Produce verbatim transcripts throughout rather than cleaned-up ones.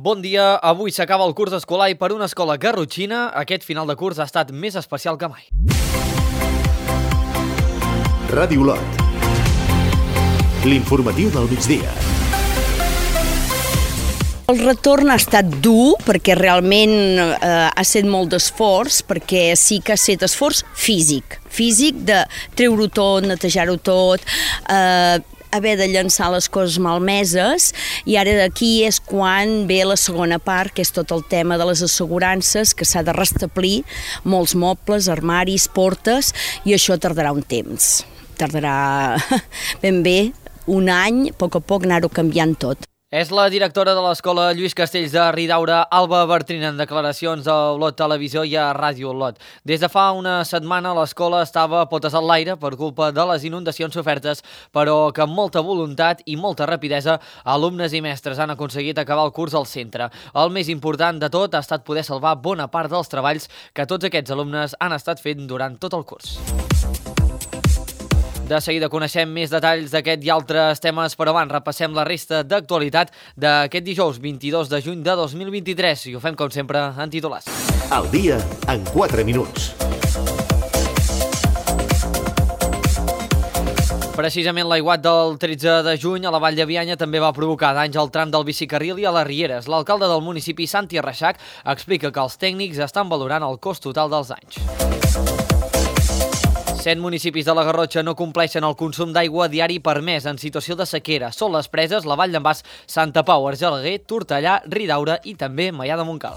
Bon dia, avui s'acaba el curs escolar i per una escola garrotxina aquest final de curs ha estat més especial que mai. Ràdio Lot. L'informatiu del migdia. El retorn ha estat dur perquè realment eh, ha estat molt d'esforç, perquè sí que ha estat esforç físic, físic de treure-ho tot, netejar-ho tot, eh, haver de llançar les coses malmeses, i ara d'aquí és quan ve la segona part, que és tot el tema de les assegurances, que s'ha de restablir molts mobles, armaris, portes, i això tardarà un temps. Tardarà ben bé un any, a poc a poc anar-ho canviant tot. És la directora de l'escola Lluís Castells de Ridaura, Alba Bertrina, en declaracions a Olot Televisió i a Ràdio Olot. Des de fa una setmana l'escola estava potes en l'aire per culpa de les inundacions sofertes, però que amb molta voluntat i molta rapidesa alumnes i mestres han aconseguit acabar el curs al centre. El més important de tot ha estat poder salvar bona part dels treballs que tots aquests alumnes han estat fent durant tot el curs. De seguida coneixem més detalls d'aquest i altres temes, però abans repassem la resta d'actualitat d'aquest dijous vint-i-dos de juny de dos mil vint-i-tres i ho fem com sempre en titulars. Al dia en quatre minuts. Precisament l'aiguat del tretze de juny a la Vall de Bianya també va provocar danys al tram del bicicarril i a les Rieres. L'alcalde del municipi, Santi Reixac, explica que els tècnics estan valorant el cost total dels danys. Set municipis de la Garrotxa no compleixen el consum d'aigua diari permès en situació de sequera. Són les Preses, la Vall d'en Bas, Santa Pau, Argelaguer, Tortellà, Ridaura i també Maià de Montcal.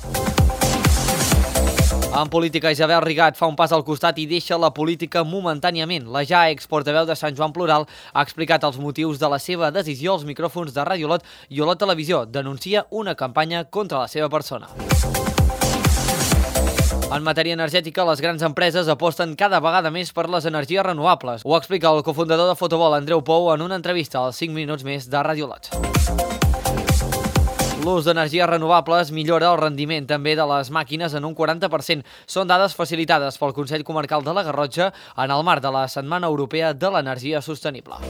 En política, Isabel Rigat fa un pas al costat i deixa la política momentàniament. La ja exportaveu de Sant Joan Plural ha explicat els motius de la seva decisió als micròfons de Ràdio Olot i Olot Televisió. Denuncia una campanya contra la seva persona. En matèria energètica, les grans empreses aposten cada vegada més per les energies renovables. Ho explica el cofundador de Fotobol, Andreu Pou, en una entrevista als cinc minuts més de Ràdio Olot. L'ús d'energies renovables millora el rendiment també de les màquines en un quaranta per cent. Són dades facilitades pel Consell Comarcal de la Garrotxa en el marc de la Setmana Europea de l'Energia Sostenible.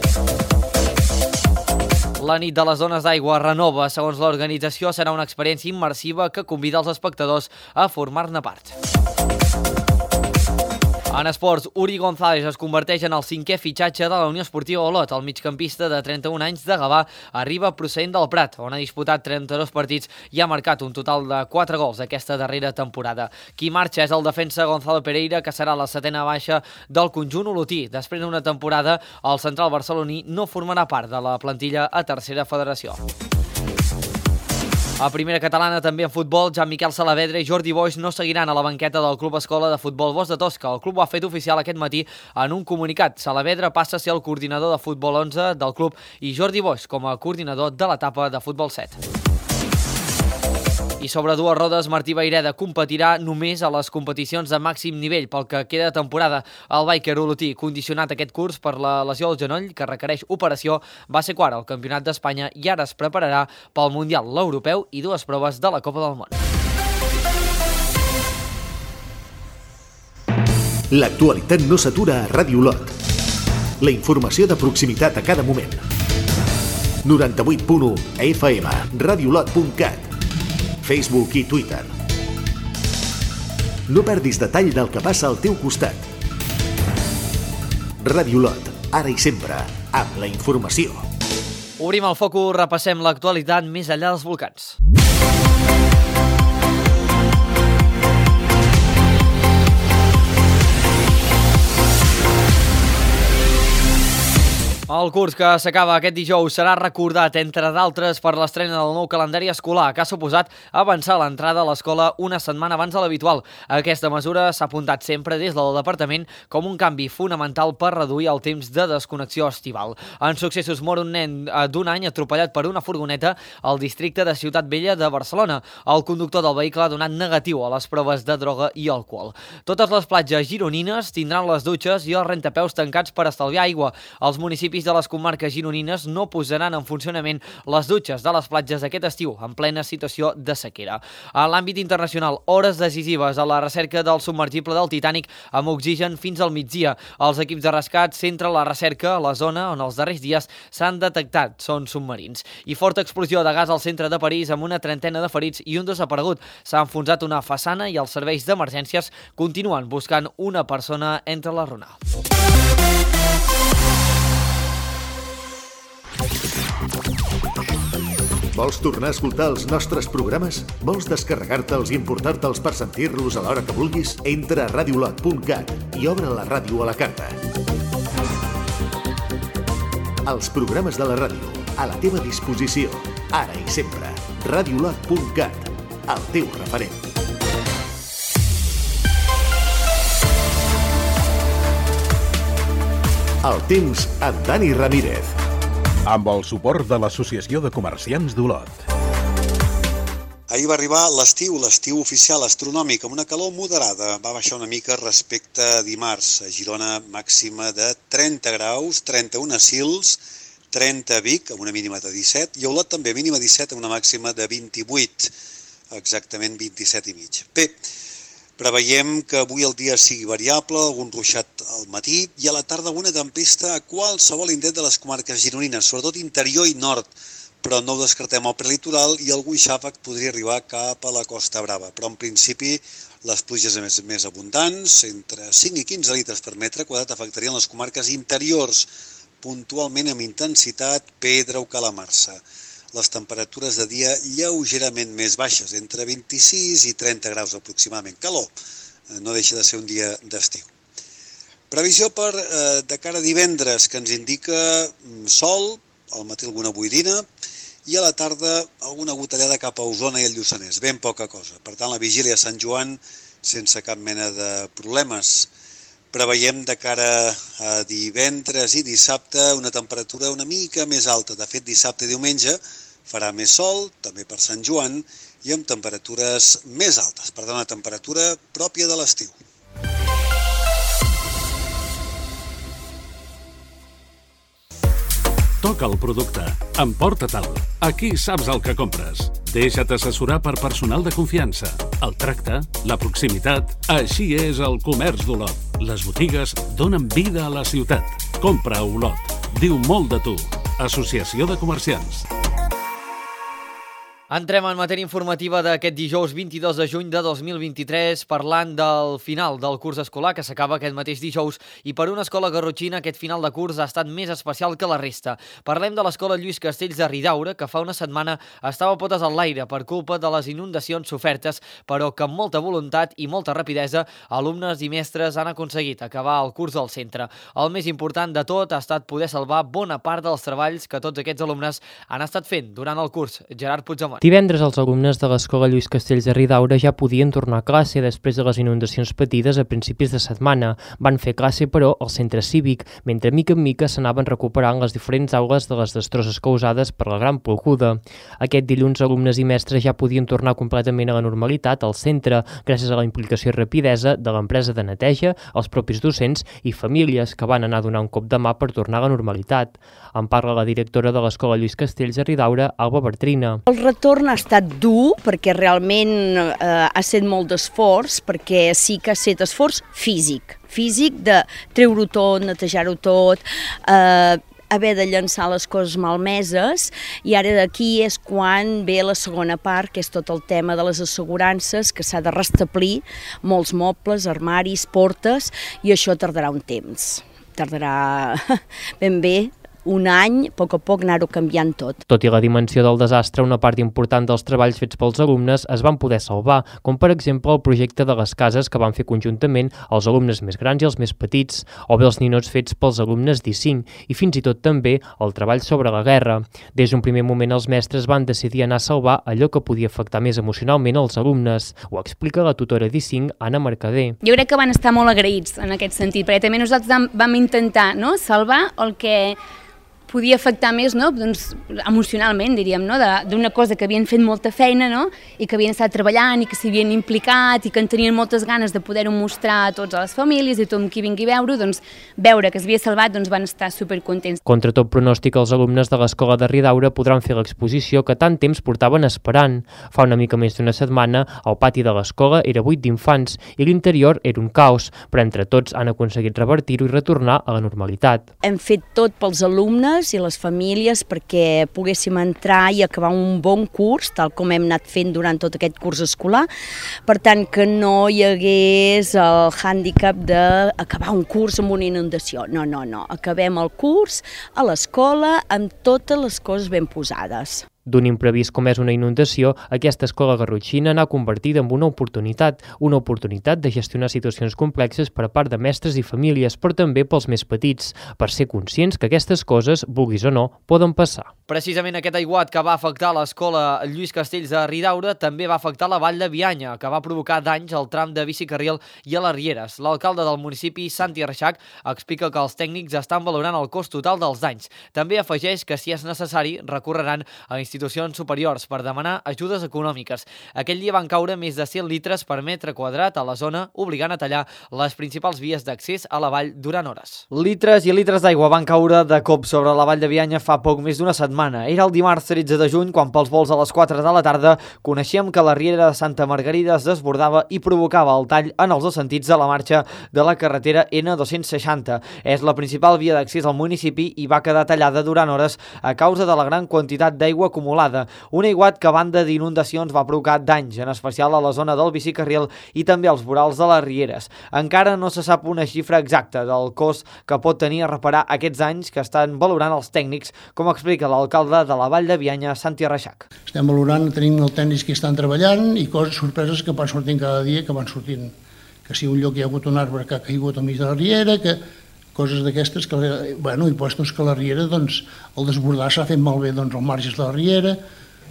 La nit de les dones d'aigua renova. Segons l'organització, serà una experiència immersiva que convida els espectadors a formar-ne part. En esports, Uri González es converteix en el cinquè fitxatge de la Unió Esportiva Olot. El migcampista de trenta-un anys de Gavà arriba procedent del Prat, on ha disputat trenta-dos partits i ha marcat un total de quatre gols aquesta darrera temporada. Qui marxa és el defensa Gonzalo Pereira, que serà la setena baixa del conjunt olotí. Després d'una temporada, el central barceloní no formarà part de la plantilla a tercera federació. A primera catalana, també en futbol, Jan Miquel Saavedra i Jordi Boix no seguiran a la banqueta del Club Escola de Futbol Bosch de Tosca. El club ho ha fet oficial aquest matí en un comunicat. Saavedra passa a ser el coordinador de futbol onze del club i Jordi Boix com a coordinador de l'etapa de futbol set. I sobre dues rodes, Martí Vaireda competirà només a les competicions de màxim nivell pel que queda de temporada. El bàiquer olotí, condicionat aquest curs per la lesió al genoll que requereix operació, va ser quart al Campionat d'Espanya i ara es prepararà pel Mundial, l'Europeu i dues proves de la Copa del Món. L'actualitat no s'atura a Ràdio Olot. La informació de proximitat a cada moment. noranta-vuit punt u F M, radiolot punt cat, Facebook i Twitter. No perdis detall del que passa al teu costat. Ràdio Olot, ara i sempre, amb la informació. Obrim el focus, repassem l'actualitat més enllà dels volcans. El curs que s'acaba aquest dijous serà recordat, entre d'altres, per l'estrena del nou calendari escolar, que ha suposat avançar l'entrada a l'escola una setmana abans de l'habitual. Aquesta mesura s'ha apuntat sempre des del departament com un canvi fonamental per reduir el temps de desconnexió estival. En successos mor un nen d'un any atropellat per una furgoneta al districte de Ciutat Vella de Barcelona. El conductor del vehicle ha donat negatiu a les proves de droga i alcohol. Totes les platges gironines tindran les dutxes i els rentapeus tancats per estalviar aigua. Els municipis municipis de les comarques gironines no posaran en funcionament les dutxes de les platges aquest estiu, en plena situació de sequera. A l'àmbit internacional, hores decisives a la recerca del submergible del Titanic amb oxigen fins al migdia. Els equips de rescat centren la recerca a la zona on els darrers dies s'han detectat sons submarins. I forta explosió de gas al centre de París amb una trentena de ferits i un desaparegut. S'ha enfonsat una façana i els serveis d'emergències continuen buscant una persona entre les ronals. Vols tornar a escoltar els nostres programes? Vols descarregar-te'ls i importar-te'ls per sentir-los a l'hora que vulguis? Entra a radiolot punt cat i obre la ràdio a la carta. Els programes de la ràdio, a la teva disposició, ara i sempre. radiolot punt cat, el teu referent. El temps amb Dani Ramírez. Amb el suport de l'Associació de Comerciants d'Olot. Ahir va arribar l'estiu, l'estiu oficial astronòmic, amb una calor moderada. Va baixar una mica respecte a dimarts. A Girona, màxima de trenta graus, trenta-un a Sils, trenta a Vic, amb una mínima de disset, i a Olot també mínima disset, amb una màxima de vint-i-vuit, exactament vint-i-set i mig. Bé, preveiem que avui el dia sigui variable, algun ruixat al matí i a la tarda una tempesta a qualsevol indret de les comarques gironines, sobretot interior i nord, però no ho descartem al prelitoral i algun xàfec podria arribar cap a la Costa Brava. Però en principi les pluges més, més abundants, entre cinc i quinze litres per metre quadrat, afectarien les comarques interiors, puntualment amb intensitat, Pedra o Calamarsa. Les temperatures de dia lleugerament més baixes, entre vint-i-sis i trenta graus aproximadament. Calor, no deixa de ser un dia d'estiu. Previsió per eh, de cara a divendres, que ens indica sol, al matí alguna boirina, i a la tarda alguna gotellada cap a Osona i el Lluçanès, ben poca cosa. Per tant, la vigília a Sant Joan sense cap mena de problemes. Preveiem de cara a divendres i dissabte una temperatura una mica més alta. De fet, dissabte i diumenge farà més sol, també per Sant Joan, i amb temperatures més altes. Per tant, una temperatura pròpia de l'estiu. Toca el producte. Emporta-te'l. Aquí saps el que compres. Deixa't assessorar per personal de confiança. El tracte, la proximitat... Així és el comerç d'Olot. Les botigues donen vida a la ciutat. Compra a Olot. Diu molt de tu. Associació de Comerciants. Entrem en matèria informativa d'aquest dijous vint-i-dos de juny de dos mil vint-i-tres, parlant del final del curs escolar que s'acaba aquest mateix dijous, i per una escola garrotxina aquest final de curs ha estat més especial que la resta. Parlem de l'escola Lluís Castells de Ridaura, que fa una setmana estava a potes en l'aire per culpa de les inundacions sofertes, però que amb molta voluntat i molta rapidesa alumnes i mestres han aconseguit acabar el curs al centre. El més important de tot ha estat poder salvar bona part dels treballs que tots aquests alumnes han estat fent durant el curs. Gerard Puigdemont. Divendres els alumnes de l'escola Lluís Castells de Ridaura ja podien tornar a classe després de les inundacions patides a principis de setmana. Van fer classe, però, al centre cívic, mentre mica en mica s'anaven recuperant les diferents aules de les destrosses causades per la gran ploguda. Aquest dilluns, alumnes i mestres ja podien tornar completament a la normalitat al centre, gràcies a la implicació i rapidesa de l'empresa de neteja, els propis docents i famílies que van anar a donar un cop de mà per tornar a la normalitat. En parla la directora de l'escola Lluís Castells de Ridaura, Alba Bertrina. El retorn ha estat dur perquè realment eh, ha estat molt d'esforç, perquè sí que ha estat esforç físic, físic de treure-ho tot, netejar-ho tot, eh, haver de llançar les coses malmeses, i ara d'aquí és quan ve la segona part, que és tot el tema de les assegurances, que s'ha de restablir molts mobles, armaris, portes, i això tardarà un temps, tardarà ben bé, un any, a poc a poc anar-ho canviant tot. Tot i la dimensió del desastre, una part important dels treballs fets pels alumnes es van poder salvar, com per exemple el projecte de les cases que van fer conjuntament els alumnes més grans i els més petits, o bé els ninots fets pels alumnes d'I cinc, i fins i tot també el treball sobre la guerra. Des d'un primer moment els mestres van decidir anar a salvar allò que podia afectar més emocionalment els alumnes. Ho explica la tutora d'I cinc, Anna Mercader. Jo crec que van estar molt agraïts en aquest sentit, perquè també nosaltres vam intentar, no?, salvar el que podia afectar més, no? Doncs, emocionalment, diríem, no? D'una cosa que havien fet molta feina, no? I que havien estat treballant i que s'havien implicat i que en tenien moltes ganes de poder-ho mostrar a tots a les famílies i tothom qui vingui a veure-ho, doncs veure que s'havia salvat, doncs van estar supercontents. Contra tot pronòstic, els alumnes de l'escola de Ridaura podran fer l'exposició que tant temps portaven esperant. Fa una mica més d'una setmana, el pati de l'escola era buit d'infants i l'interior era un caos, però entre tots han aconseguit revertir-ho i retornar a la normalitat. Hem fet tot pels alumnes i les famílies perquè poguéssim entrar i acabar un bon curs, tal com hem anat fent durant tot aquest curs escolar, per tant que no hi hagués el hàndicap d'acabar un curs amb una inundació. No, no, no, acabem el curs a l'escola amb totes les coses ben posades. D'un imprevist com és una inundació, aquesta escola garrotxina n'ha convertida en una oportunitat, una oportunitat de gestionar situacions complexes per a part de mestres i famílies, però també pels més petits, per ser conscients que aquestes coses, vulguis o no, poden passar. Precisament aquest aiguat que va afectar l'escola Lluís Castells de Ridaura també va afectar la Vall de Bianya, que va provocar danys al tram de bicicarril i a les Rieres. L'alcalde del municipi, Santi Reixac, explica que els tècnics estan valorant el cost total dels danys. També afegeix que, si és necessari, recorreran a institucions superiors per demanar ajudes econòmiques. Aquell dia van caure més de cent litres per metre quadrat a la zona, obligant a tallar les principals vies d'accés a la vall durant hores. Litres i litres d'aigua van caure de cop sobre la Vall de Bianya fa poc més d'una setmana. Era el dimarts tretze de juny quan pels vols a les quatre de la tarda coneixíem que la riera de Santa Margarida es desbordava i provocava el tall en els dos sentits de la marxa de la carretera ene dos-cents seixanta. És la principal via d'accés al municipi i va quedar tallada durant hores a causa de la gran quantitat d'aigua acumulada. Un aiguat que, a banda d'inundacions, va provocar danys, en especial a la zona del bicicarril i també als vorals de les rieres. Encara no se sap una xifra exacta del cost que pot tenir a reparar aquests danys que estan valorant els tècnics, com explica l'alcalde de la Vall de Bianya, Santi Reixac. Estem valorant, tenim els tècnics que estan treballant i coses, sorpreses que van sortint cada dia, que van sortint. Que si un lloc hi ha hagut un arbre que ha caigut al mig de la riera, que coses d'aquestes, que, bueno, i postos que la riera, doncs, el desbordar s'ha fet malbé, doncs, els marges de la riera.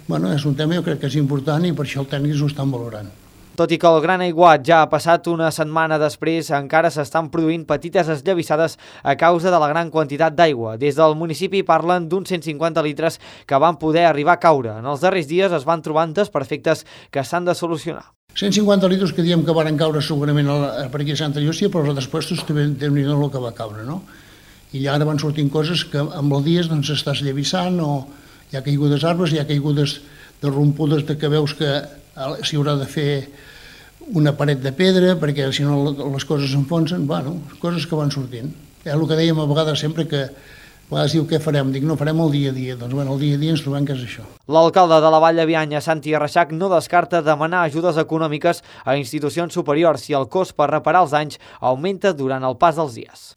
Bueno, és un tema, jo crec que és important i per això els tècnics ho estan valorant. Tot i que el gran aiguat ja ha passat una setmana després, encara s'estan produint petites esllavissades a causa de la gran quantitat d'aigua. Des del municipi parlen d'uns cent cinquanta litres que van poder arribar a caure. En els darrers dies es van trobant desperfectes que s'han de solucionar. cent cinquanta litres que diem que van caure segurament per aquí a Santa Llúcia, però els despuestos també déu-n'hi-do el que va caure, no? I ara van sortint coses que amb els dies doncs s'està esllavissant, o hi ha caigudes arbres, hi ha caigudes de rompudes de que veus que s'hi haurà de fer una paret de pedra perquè si no les coses s'enfonsen, bueno, coses que van sortint. És el que dèiem a vegades sempre, que a vegades diu què farem, dic no farem el dia a dia, doncs bueno, el dia a dia ens trobem que és això. L'alcalde de la Vall de Bianya, Santi Reixac, no descarta demanar ajudes econòmiques a institucions superiors si el cost per reparar els danys augmenta durant el pas dels dies.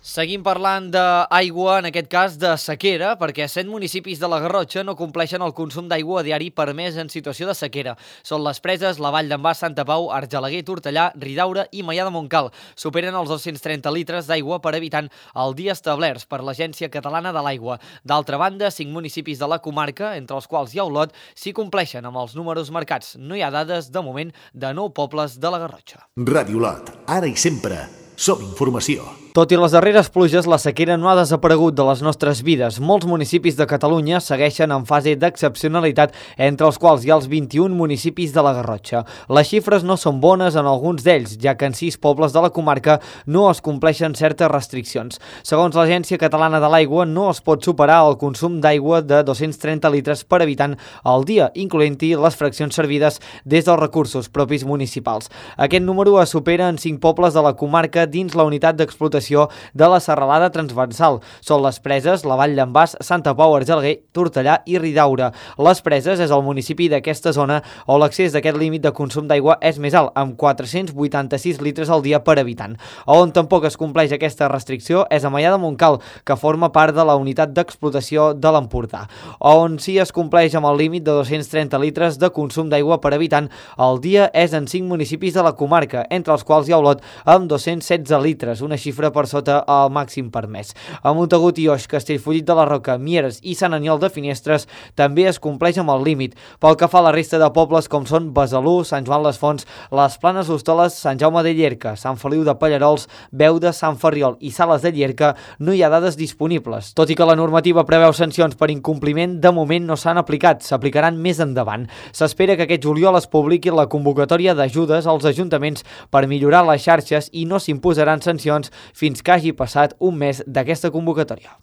Seguim parlant d'aigua, en aquest cas de sequera, perquè set municipis de la Garrotxa no compleixen el consum d'aigua diari permès en situació de sequera. Són les Preses, la Vall d'en Bas, Santa Pau, Argelaguer, Tortellà, Ridaura i Maià de Montcal. Superen els dos-cents trenta litres d'aigua per habitant al dia establerts per l'Agència Catalana de l'Aigua. D'altra banda, cinc municipis de la comarca, entre els quals hi ha Olot, s'hi compleixen amb els números marcats. No hi ha dades, de moment, de nou pobles de la Garrotxa. Ràdio Olot, ara i sempre, som informació. Tot i les darreres pluges, la sequera no ha desaparegut de les nostres vides. Molts municipis de Catalunya segueixen en fase d'excepcionalitat, entre els quals hi ha els vint-i-un municipis de la Garrotxa. Les xifres no són bones en alguns d'ells, ja que en sis pobles de la comarca no es compleixen certes restriccions. Segons l'Agència Catalana de l'Aigua, no es pot superar el consum d'aigua de dos-cents trenta litres per habitant al dia, incloent-hi les fraccions servides des dels recursos propis municipals. Aquest número es supera en cinc pobles de la comarca dins la unitat d'explotació de la serralada transversal. Són les Preses, la Vall d'en Bas, Santa Pau, Argelaguer, Tortellà i Ridaura. Les Preses és el municipi d'aquesta zona on l'accés d'aquest límit de consum d'aigua és més alt, amb quatre-cents vuitanta-sis litres al dia per habitant. On tampoc es compleix aquesta restricció és a Maià de Montcal, que forma part de la unitat d'explotació de l'Empordà, on sí es compleix amb el límit de dos-cents trenta litres de consum d'aigua per habitant al dia és en cinc municipis de la comarca, entre els quals hi ha Olot amb dos-cents set setze litres, una xifra per sota el màxim permès. A Montagut i Oix, Castellfollit de la Roca, Mieres i Sant Aniol de Finestres també es compleix amb el límit. Pel que fa a la resta de pobles com són Besalú, Sant Joan les Fonts, les Planes d'Hostoles, Sant Jaume de Llierca, Sant Feliu de Pallarols, Beuda, Sant Ferriol i Sales de Llierca no hi ha dades disponibles. Tot i que la normativa preveu sancions per incompliment, de moment no s'han aplicat, s'aplicaran més endavant. S'espera que aquest juliol es publiqui la convocatòria d'ajudes als ajuntaments per millorar les xarxes i no s'imposaran sancions fins que hagi passat un mes d'aquesta convocatòria.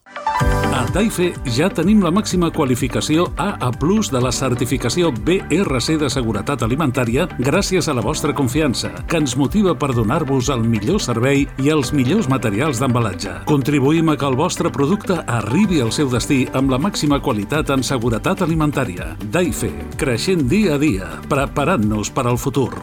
A Taife ja tenim la màxima qualificació A A plus de la certificació B R C de seguretat alimentària gràcies a la vostra confiança, que ens motiva per donar-vos el millor servei i els millors materials d'embalatge. Contribuïm a que el vostre producte arribi al seu destí amb la màxima qualitat en seguretat alimentària. Taife, creixent dia a dia, preparant-nos per al futur.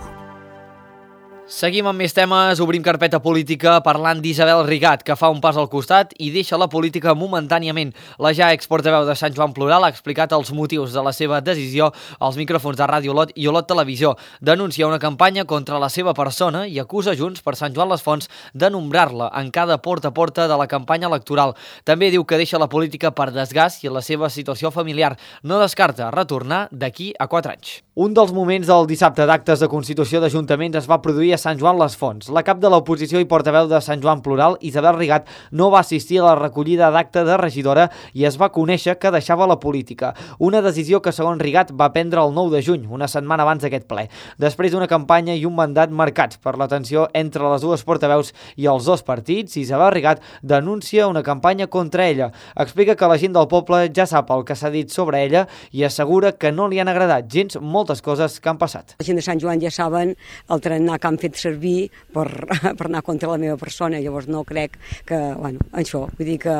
Seguim amb més temes, obrim carpeta política parlant d'Isabel Rigat, que fa un pas al costat i deixa la política momentàniament. La ja exportaveu de Sant Joan Plural ha explicat els motius de la seva decisió als micròfons de Ràdio Olot i Olot Televisió. Denuncia una campanya contra la seva persona i acusa Junts per Sant Joan les Fonts de nombrar-la en cada porta a porta de la campanya electoral. També diu que deixa la política per desgast i la seva situació familiar. No descarta retornar d'aquí a quatre anys. Un dels moments del dissabte d'actes de constitució d'ajuntaments es va produir a Sant Joan les Fonts. La cap de l'oposició i portaveu de Sant Joan Plural, Isabel Rigat, no va assistir a la recollida d'acte de regidora i es va conèixer que deixava la política. Una decisió que, segons Rigat, va prendre el nou de juny, una setmana abans d'aquest ple. Després d'una campanya i un mandat marcats per la tensió entre les dues portaveus i els dos partits, Isabel Rigat denuncia una campanya contra ella. Explica que la gent del poble ja sap el que s'ha dit sobre ella i assegura que no li han agradat gens moltes coses que han passat. La gent de Sant Joan ja saben el tarannà que han fet servir per, per anar contra la meva persona, llavors no crec que, bueno, això, vull dir que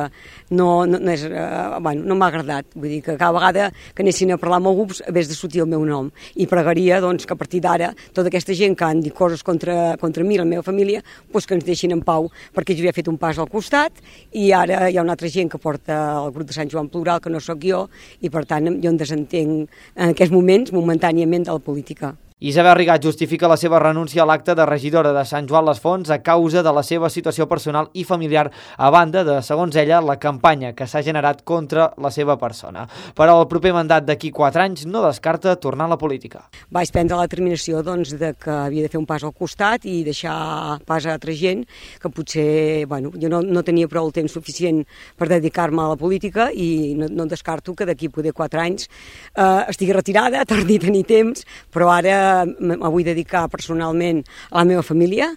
no, no, no és, uh, bueno, no m'ha agradat, vull dir que cada vegada que anessin a parlar amb algú hagués de sortir el meu nom i pregaria, doncs, que a partir d'ara tota aquesta gent que han dit coses contra, contra mi i la meva família, doncs que ens deixin en pau, perquè jo ja he fet un pas al costat i ara hi ha una altra gent que porta el grup de Sant Joan Plural, que no sóc jo, i per tant jo em desentenc en aquests moments momentàniament de la política. Isabel Rigat justifica la seva renúncia a l'acte de regidora de Sant Joan les Fonts a causa de la seva situació personal i familiar, a banda de, segons ella, la campanya que s'ha generat contra la seva persona. Per al proper mandat d'aquí quatre anys no descarta tornar a la política. Vaig prendre la determinació, doncs, de que havia de fer un pas al costat i deixar pas a altra gent que potser, bueno, jo no, no tenia prou el temps suficient per dedicar-me a la política i no, no descarto que d'aquí poder quatre anys eh, estigui retirada, torni a tenir temps, però ara me vull dedicar personalment a la meva família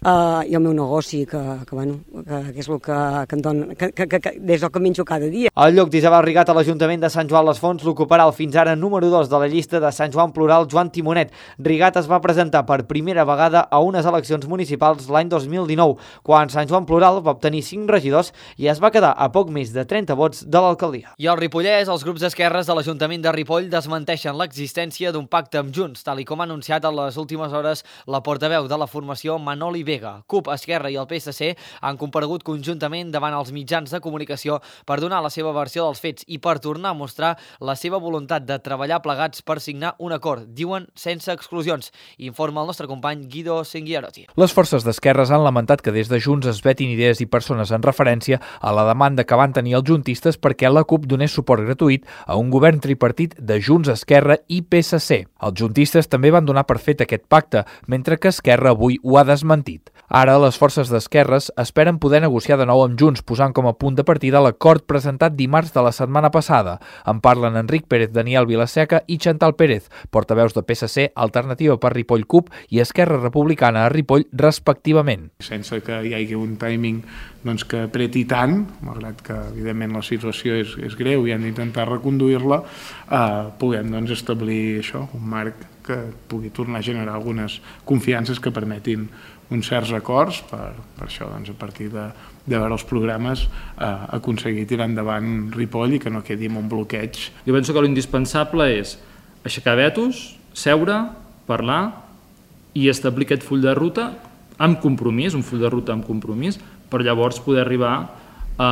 uh, i al meu negoci, que, que, bueno, que, que és el que, que em dona, que, que, que, des del que menjo cada dia. El lloc d'Isabel Rigat a l'Ajuntament de Sant Joan les Fonts l'ocuparà el fins ara número dos de la llista de Sant Joan Plural, Joan Timonet. Rigat es va presentar per primera vegada a unes eleccions municipals l'any dos mil dinou, quan Sant Joan Plural va obtenir cinc regidors i es va quedar a poc més de trenta vots de l'alcaldia. I al Ripollès, els grups d'esquerres de l'Ajuntament de Ripoll desmenteixen l'existència d'un pacte amb Junts, tal i com ha anunciat en les últimes hores la portaveu de la formació Manoli Vega. CUP, Esquerra i el P S C han comparegut conjuntament davant els mitjans de comunicació per donar la seva versió dels fets i per tornar a mostrar la seva voluntat de treballar plegats per signar un acord, diuen sense exclusions, informa el nostre company Guido Senguiarotti. Les forces d'esquerres han lamentat que des de Junts es vetin idees i persones en referència a la demanda que van tenir els juntistes perquè la CUP donés suport gratuït a un govern tripartit de Junts, Esquerra i P S C. Els juntistes també van donar per fet aquest pacte, mentre que Esquerra avui ho ha desmentit. Ara, les forces d'esquerres esperen poder negociar de nou amb Junts, posant com a punt de partida l'acord presentat dimarts de la setmana passada. En parlen Enric Pérez, Daniel Vilaseca i Chantal Pérez, portaveus de P S C, Alternativa per Ripoll CUP i Esquerra Republicana a Ripoll, respectivament. Sense que hi hagi un timing doncs, que apreti tant, malgrat que evidentment la situació és, és greu i han d'intentar reconduir-la, eh, puguem doncs, establir això, un marc que pugui tornar a generar algunes confiances que permetin uns certs acords per, per això, doncs, a partir de, de veure els programes, eh, aconseguir tirar endavant Ripoll i que no quedi en un bloqueig. Jo penso que l'indispensable és aixecar vetos, seure, parlar i establir aquest full de ruta amb compromís, un full de ruta amb compromís, per llavors poder arribar a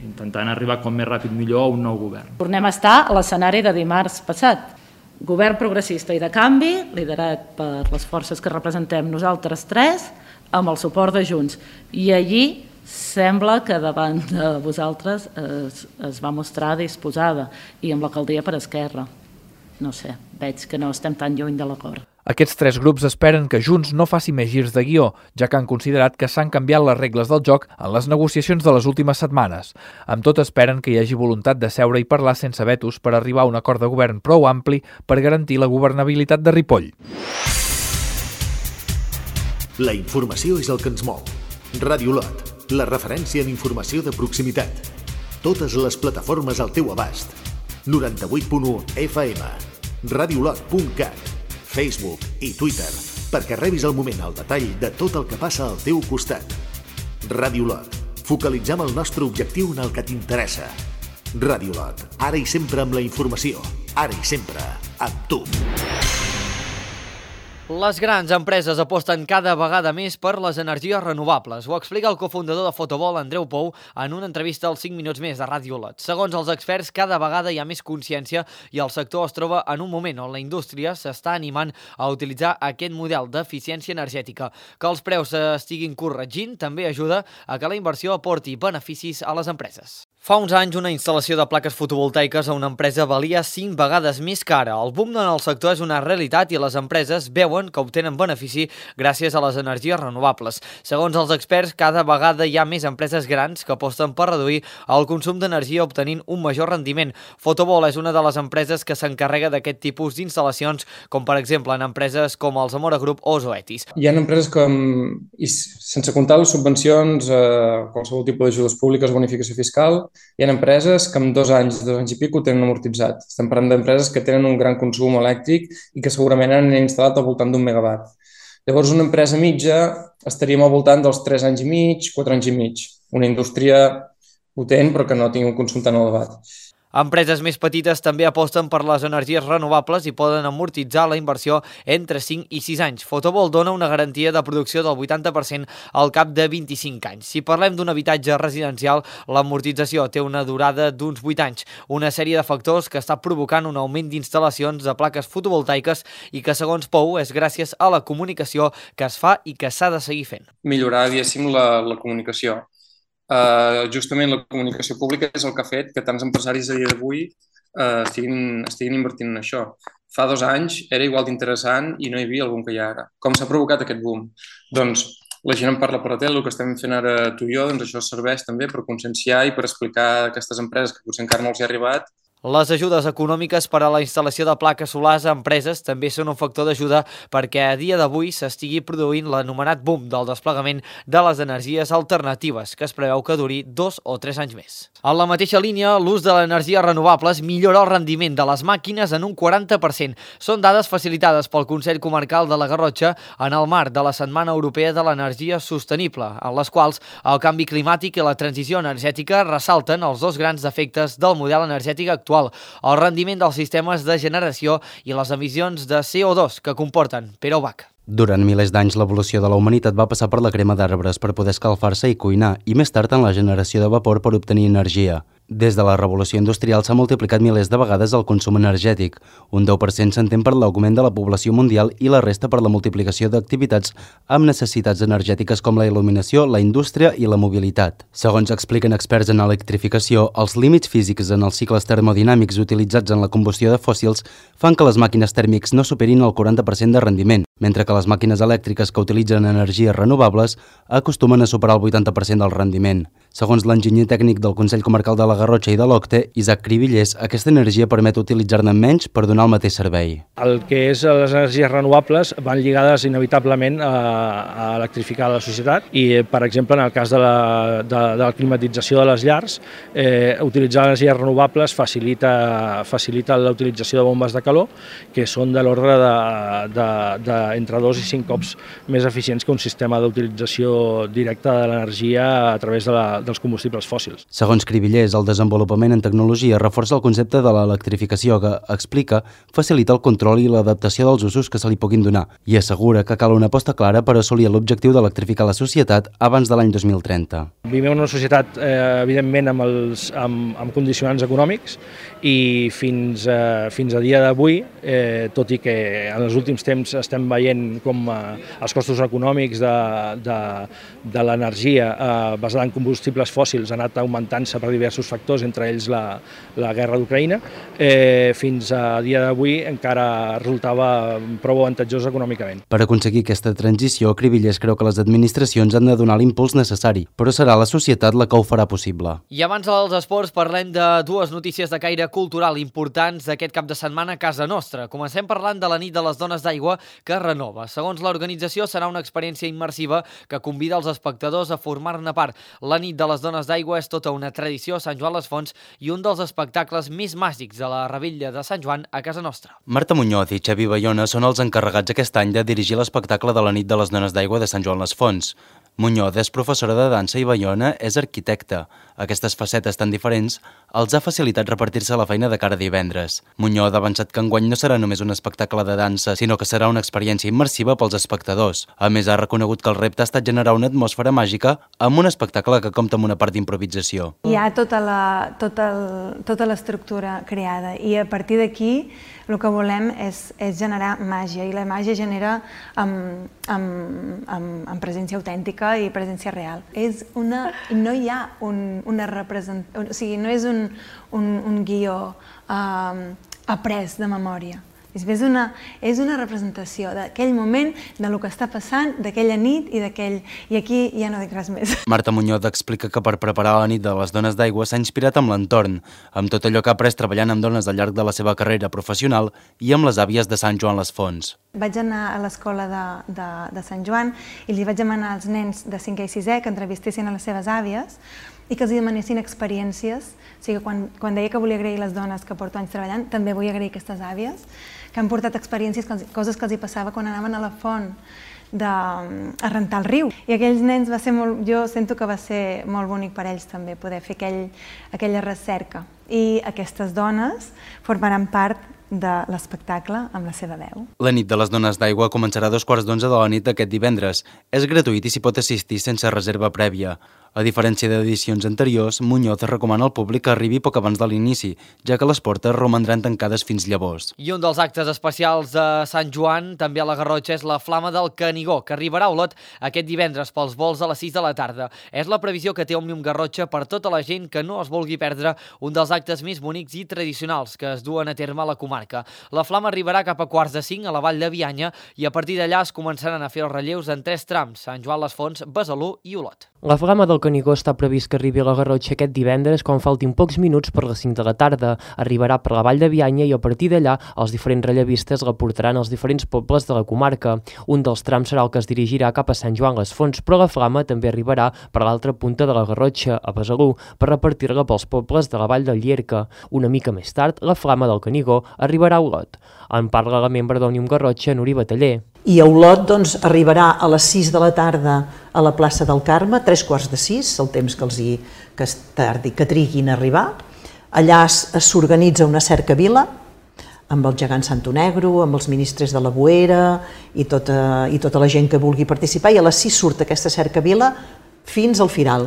intentant arribar com més ràpid millor a un nou govern. Tornem a estar a l'escenari de dimarts passat. Govern progressista i de canvi, liderat per les forces que representem nosaltres tres, amb el suport de Junts. I allí sembla que davant de vosaltres es, es va mostrar disposada, i amb l'alcaldia per Esquerra. No sé, veig que no estem tan lluny de l'acord. Aquests tres grups esperen que Junts no faci més girs de guió, ja que han considerat que s'han canviat les regles del joc en les negociacions de les últimes setmanes. Amb tot, esperen que hi hagi voluntat de seure i parlar sense vetos per arribar a un acord de govern prou ampli per garantir la governabilitat de Ripoll. La informació és el que ens mou. Ràdio Lot, la referència en informació de proximitat. Totes les plataformes al teu abast. noranta-vuit punt u F M, radiolot punt cat, Facebook i Twitter, perquè rebis al moment el detall de tot el que passa al teu costat. Ràdio Lot, focalitzem el nostre objectiu en el que t'interessa. Ràdio Lot, ara i sempre amb la informació, ara i sempre amb tu. Les grans empreses aposten cada vegada més per les energies renovables. Ho explica el cofundador de Fotobol, Andreu Pou, en una entrevista als cinc minuts més de Ràdio Lot. Segons els experts, cada vegada hi ha més consciència i el sector es troba en un moment on la indústria s'està animant a utilitzar aquest model d'eficiència energètica. Que els preus s'estiguin corregint també ajuda a que la inversió aporti beneficis a les empreses. Fa uns anys, una instal·lació de plaques fotovoltaiques a una empresa valia cinc vegades més cara. El boom en el sector és una realitat i les empreses veuen que obtenen benefici gràcies a les energies renovables. Segons els experts, cada vegada hi ha més empreses grans que aposten per reduir el consum d'energia obtenint un major rendiment. Fotobol és una de les empreses que s'encarrega d'aquest tipus d'instal·lacions, com per exemple en empreses com el Zamora Group o Zoetis. Hi ha empreses que, i sense comptar les subvencions, eh, qualsevol tipus d'ajudes públiques o bonificació fiscal, hi ha empreses que en dos anys, dos anys i pic ho tenen amortitzat. Estem parlant d'empreses que tenen un gran consum elèctric i que segurament han instal·lat al voltant d'un megawatt. Llavors, una empresa mitja estaríem al voltant dels tres anys i mig, quatre anys i mig. Una indústria potent però que no tingui un consum tan elevat. Empreses més petites també aposten per les energies renovables i poden amortitzar la inversió entre cinc i sis anys. Fotobol dona una garantia de producció del vuitanta per cent al cap de vint-i-cinc anys. Si parlem d'un habitatge residencial, l'amortització té una durada d'uns vuit anys, una sèrie de factors que està provocant un augment d'instal·lacions de plaques fotovoltaiques i que, segons Pou, és gràcies a la comunicació que es fa i que s'ha de seguir fent. Millorar, diguéssim, la, la comunicació. Uh, justament la comunicació pública és el que ha fet que tants empresaris a dia d'avui uh, estiguin, estiguin invertint en això. Fa dos anys era igual d'interessant i no hi havia el boom que hi ha ara. Com s'ha provocat aquest boom? Doncs la gent en parla per la tele, el que estem fent ara tu i jo, doncs això serveix també per conscienciar i per explicar a aquestes empreses que potser encara no els hi ha arribat. Les ajudes econòmiques per a la instal·lació de plaques solars a empreses també són un factor d'ajuda perquè a dia d'avui s'estigui produint l'anomenat boom del desplegament de les energies alternatives, que es preveu que duri dos o tres anys més. En la mateixa línia, l'ús de les energies renovables millora el rendiment de les màquines en un quaranta per cent. Són dades facilitades pel Consell Comarcal de la Garrotxa en el marc de la Setmana Europea de l'Energia Sostenible, en les quals el canvi climàtic i la transició energètica ressalten els dos grans defectes del model energètic actual, el rendiment dels sistemes de generació i les emissions de C O dos que comporten. Pere Ubach. Durant milers d'anys, l'evolució de la humanitat va passar per la crema d'arbres per poder escalfar-se i cuinar, i més tard en la generació de vapor per obtenir energia. Des de la revolució industrial s'ha multiplicat milers de vegades el consum energètic. Un deu per cent s'entén per l'augment de la població mundial i la resta per la multiplicació d'activitats amb necessitats energètiques com la il·luminació, la indústria i la mobilitat. Segons expliquen experts en electrificació, els límits físics en els cicles termodinàmics utilitzats en la combustió de fòssils fan que les màquines tèrmics no superin el quaranta per cent de rendiment, mentre que les màquines elèctriques que utilitzen energies renovables acostumen a superar el vuitanta per cent del rendiment. Segons l'enginyer tècnic del Consell Comarcal de la Garrotxa i de l'Octe, Isaac Cribillers, aquesta energia permet utilitzar-ne menys per donar el mateix servei. El que és les energies renovables van lligades inevitablement a, a electrificar la societat i, per exemple, en el cas de la, de, de la climatització de les llars, eh, utilitzar energies renovables facilita, facilita la utilització de bombes de calor que són de l'ordre de, de, de entre dos i cinc cops més eficients que un sistema d'utilització directa de l'energia a través de la, dels combustibles fòssils. Segons Cribillers, el desenvolupament en tecnologia reforça el concepte de l'electrificació que, explica, facilita el control i l'adaptació dels usos que se li puguin donar i assegura que cal una aposta clara per assolir l'objectiu d'electrificar la societat abans de l'any dos mil trenta. Vivim en una societat, eh, evidentment, amb, els, amb, amb condicionants econòmics i fins, eh, fins a dia d'avui, eh, tot i que en els últims temps estem veient com eh, els costos econòmics de, de, de l'energia eh, basada en combustibles fòssils ha anat augmentant-se per diversos factors, entre ells la, la guerra d'Ucraïna, eh, fins a dia d'avui encara resultava prou avantatjós econòmicament. Per aconseguir aquesta transició, Cribillers creu que les administracions han de donar l'impuls necessari, però serà la societat la que ho farà possible. I abans dels esports parlem de dues notícies de caire cultural importants d'aquest cap de setmana a casa nostra. Comencem parlant de la nit de les dones d'aigua que es renova. Segons l'organització, serà una experiència immersiva que convida els espectadors a formar-ne part. La nit de les dones d'aigua és tota una tradició a Sant Joan les Fonts i un dels espectacles més màgics de la Revetlla de Sant Joan a casa nostra. Marta Muñoz i Xavi Bayona són els encarregats aquest any de dirigir l'espectacle de la nit de les dones d'aigua de Sant Joan les Fonts. Muñoz és professora de dansa i Bayona és arquitecta. Aquestes facetes tan diferents els ha facilitat repartir-se la feina de cara a divendres. Muñoz ha avançat que enguany no serà només un espectacle de dansa, sinó que serà una experiència immersiva pels espectadors. A més, ha reconegut que el repte ha estat generar una atmosfera màgica amb un espectacle que compta amb una part d'improvisació. Hi ha tota la, tota el, tota l'estructura creada i a partir d'aquí el que volem és, és generar màgia i la màgia genera amb, amb, amb, amb presència autèntica i presència real. És una, no hi ha un, una representació, o sigui, no és un, un, un guió um, après de memòria. És una, és una representació d'aquell moment, de lo que està passant, d'aquella nit i d'aquell... I aquí ja no dic res més. Marta Muñoz explica que per preparar la nit de les dones d'aigua s'ha inspirat amb l'entorn, amb tot allò que ha après treballant amb dones al llarg de la seva carrera professional i amb les àvies de Sant Joan les Fonts. Vaig anar a l'escola de, de, de Sant Joan i li vaig demanar als nens de cinquè i sisè que entrevistessin a les seves àvies i que els demanessin experiències. O sigui, quan, quan deia que volia agrair les dones que porto anys treballant, també vull agrair aquestes àvies que han portat experiències, que els, coses que els hi passava quan anaven a la font de, a rentar el riu. I aquells nens va ser molt, jo sento que va ser molt bonic per ells també poder fer aquell, aquella recerca. I aquestes dones formaran part de l'espectacle amb la seva veu. La nit de les dones d'aigua començarà a dos quarts d'onze de la nit d'aquest divendres. És gratuït i s'hi pot assistir sense reserva prèvia. A diferència d'edicions anteriors, Muñoz recomana al públic que arribi poc abans de l'inici, ja que les portes romandran tancades fins llavors. I un dels actes especials de Sant Joan, també a la Garrotxa, és la Flama del Canigó, que arribarà a Olot aquest divendres pels vols a les sis de la tarda. És la previsió que té Òmnium Garrotxa per tota la gent que no es vulgui perdre un dels actes més bonics i tradicionals que es duen a terme a la comarca. La Flama arribarà cap a quarts de cinc a la Vall de Bianya i a partir d'allà es començaran a fer els relleus en tres trams, Sant Joan les Fonts, Besalú i Olot. La Flama del Canigó està previst que arribi a la Garrotxa aquest divendres quan faltin pocs minuts per les cinc de la tarda. Arribarà per la Vall de Bianya i a partir d'allà els diferents rellevistes la portaran als diferents pobles de la comarca. Un dels trams serà el que es dirigirà cap a Sant Joan les Fonts, però la Flama també arribarà per l'altra punta de la Garrotxa, a Besalú, per repartir-la pels pobles de la Vall del Llierca. Una mica més tard, la Flama del Canigó arribarà a Olot. En parla la membre d'Òmnium Garrotxa, Núria Bataller. I a Olot doncs, arribarà a les sis de la tarda a la plaça del Carme, tres quarts de sis, el temps que els hi, que, tardi, que triguin a arribar. Allà s'organitza una cercavila amb el gegant Santo Negro, amb els ministres de la Boera i tota, i tota la gent que vulgui participar, i a les sis surt aquesta cercavila fins al Firal.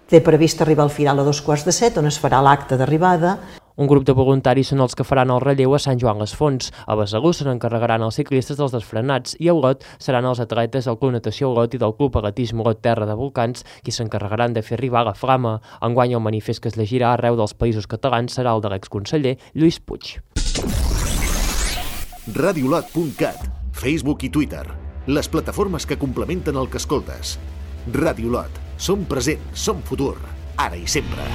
Té previst arribar al Firal a dos quarts de set, on es farà l'acte d'arribada. Un grup de voluntaris són els que faran el relleu a Sant Joan les Fonts. A Besalú se n'encarregaran els ciclistes dels desfrenats i a Olot seran els atletes del Club Natació Olot i del Club Atletisme Olot Terra de Volcans qui s'encarregaran de fer arribar la Flama. Enguany el manifest que es llegirà arreu dels països catalans serà el de l'exconseller Lluís Puig. radiolot punt cat, Facebook i Twitter, les plataformes que complementen el que escoltes. Radiolot, som present, som futur, ara i sempre.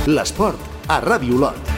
L'esport a Ràdio Olot.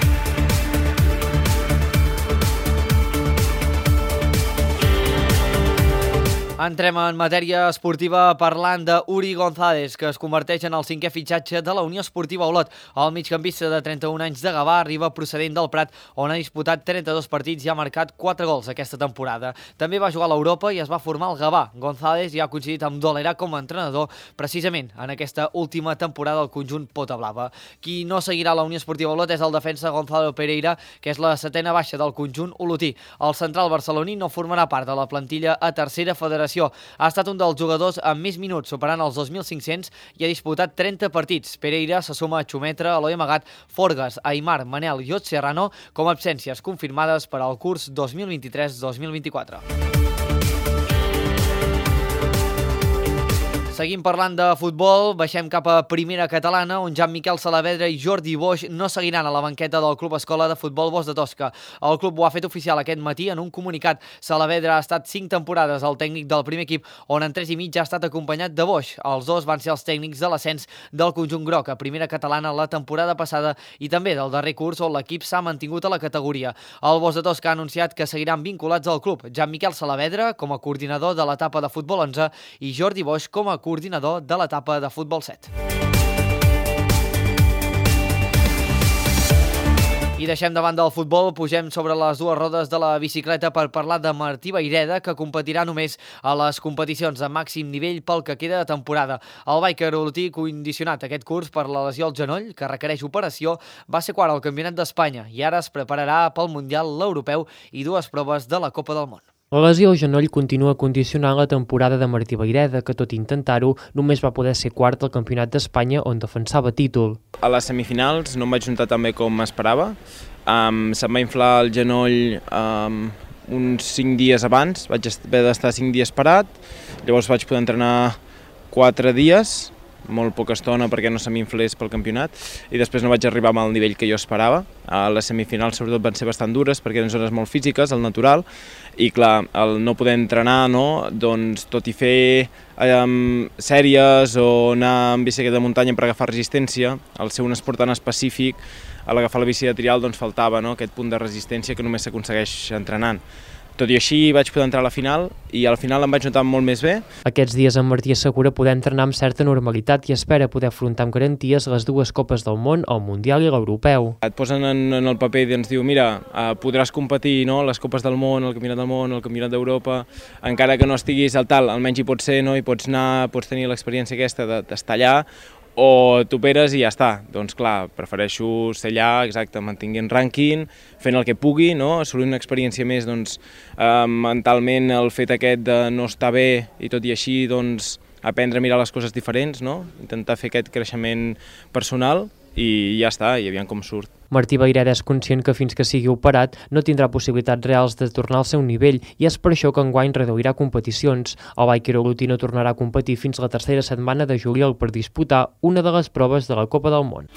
Entrem en matèria esportiva parlant d'Uri González, que es converteix en el cinquè fitxatge de la Unió Esportiva Olot. El migcampista de trenta-un anys de Gavà arriba procedent del Prat, on ha disputat trenta-dos partits i ha marcat quatre gols aquesta temporada. També va jugar a l'Europa i es va formar al Gavà. González ja ha coincidit amb Dolera com a entrenador precisament en aquesta última temporada del conjunt Pota Blava. Qui no seguirà la Unió Esportiva Olot és el defensa Gonzalo Pereira, que és la setena baixa del conjunt olotí. El central barceloní no formarà part de la plantilla a tercera federació. Ha estat un dels jugadors amb més minuts, superant els dos mil cinc-cents, i ha disputat trenta partits. Pereira se suma a Xumetra, Eloi Amagat, Forgas, Aimar, Manel i Ot Serrano com a absències confirmades per al curs dos mil vint-i-tres dos mil vint-i-quatre. Seguim parlant de futbol, baixem cap a primera catalana, on Jan Miquel Saavedra i Jordi Boix no seguiran a la banqueta del Club Escola de Futbol Bosch de Tosca. El club ho ha fet oficial aquest matí en un comunicat. Saavedra ha estat cinc temporades al tècnic del primer equip, on en tres i mig ha estat acompanyat de Boix. Els dos van ser els tècnics de l'ascens del conjunt groc a primera catalana la temporada passada i també del darrer curs on l'equip s'ha mantingut a la categoria. El Bosch de Tosca ha anunciat que seguiran vinculats al club. Jan Miquel Saavedra com a coordinador de l'etapa de futbol onze i Jordi Boix com a coordinador de l'etapa de futbol set. I deixem davant del futbol, pugem sobre les dues rodes de la bicicleta per parlar de Martí Vayreda, que competirà només a les competicions de màxim nivell pel que queda de temporada. El biker olotí, condicionat aquest curs per la lesió al genoll, que requereix operació, va ser quart al Campionat d'Espanya i ara es prepararà pel Mundial, l'Europeu i dues proves de la Copa del Món. La lesió al genoll continua condicionant la temporada de Martí Vayreda, que tot intentar-ho només va poder ser quart al Campionat d'Espanya on defensava títol. A les semifinals no em vaig juntar tan bé com m'esperava. Um, se'm va inflar el genoll um, uns cinc dies abans, vaig haver d'estar cinc dies parat, llavors vaig poder entrenar quatre dies, molt poca estona perquè no se m'inflés pel campionat, i després no vaig arribar amb el nivell que jo esperava. A les semifinals sobretot van ser bastant dures perquè eren zones molt físiques, el natural, i clar, el no poder entrenar, no? Doncs tot i fer um, sèries o anar amb bicicleta de muntanya per agafar resistència, al ser un esport tan específic, a l'agafar la bici de trial doncs faltava, no? Aquest punt de resistència que només s'aconsegueix entrenant. Tot i així vaig poder entrar a la final i al final em vaig notar molt més bé. Aquests dies en Martí assegura poder entrenar amb certa normalitat i espera poder afrontar amb garanties les dues Copes del Món, el Mundial i l'Europeu. Et posen en, en el paper i ens diu, mira, eh, podràs competir, no? Les Copes del Món, el Campionat del Món, el Campionat d'Europa, encara que no estiguis al tal, almenys hi pots ser, no? Hi pots anar, pots tenir l'experiència aquesta d'estar allà, o t'operes i ja està. Doncs clar, prefereixo ser allà, exacte, mantinguent rànquing, fent el que pugui, no? Assolir una experiència més, doncs, eh, mentalment el fet aquest de no estar bé i tot i així, doncs, aprendre a mirar les coses diferents, no? Intentar fer aquest creixement personal i ja està, i aviam com surt. Martí Vayreda és conscient que fins que sigui operat no tindrà possibilitats reals de tornar al seu nivell i és per això que enguany reduirà competicions. El biker olotí no tornarà a competir fins la tercera setmana de juliol per disputar una de les proves de la Copa del Món.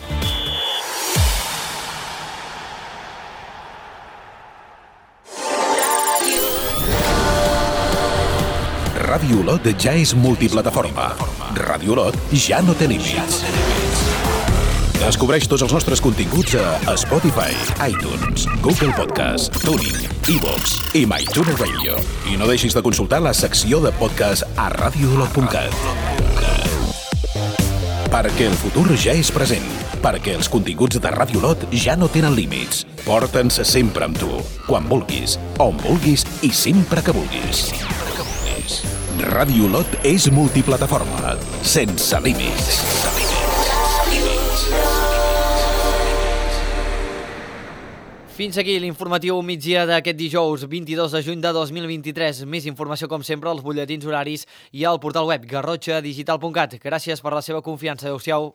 Ràdio Olot ja és multiplataforma. Ràdio Olot ja no té límits. Descobreix tots els nostres continguts a Spotify, iTunes, Google Podcast, TuneIn, iVoox i MyTuner Radio. I no deixis de consultar la secció de podcast a radio olot punt cat. Perquè el futur ja és present. Perquè els continguts de Ràdio Olot ja no tenen límits. Porta'ns sempre amb tu, quan vulguis, on vulguis i sempre que vulguis. Ràdio Olot és multiplataforma, sense límits. Fins aquí l'informatiu migdia d'aquest dijous vint-i-dos de juny de dos mil vint-i-tres. Més informació, com sempre, als butlletins horaris i al portal web garrotxa digital punt cat. Gràcies per la seva confiança. Adéu-siau.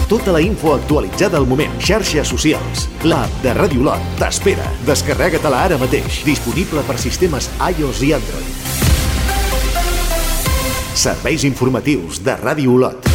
Tota la info actualitzada al moment. Xarxes socials. L'app de Ràdio Olot t'espera. Descarrega-te-la ara mateix. Disponible per sistemes iOS i Android. Serveis informatius de Ràdio Olot.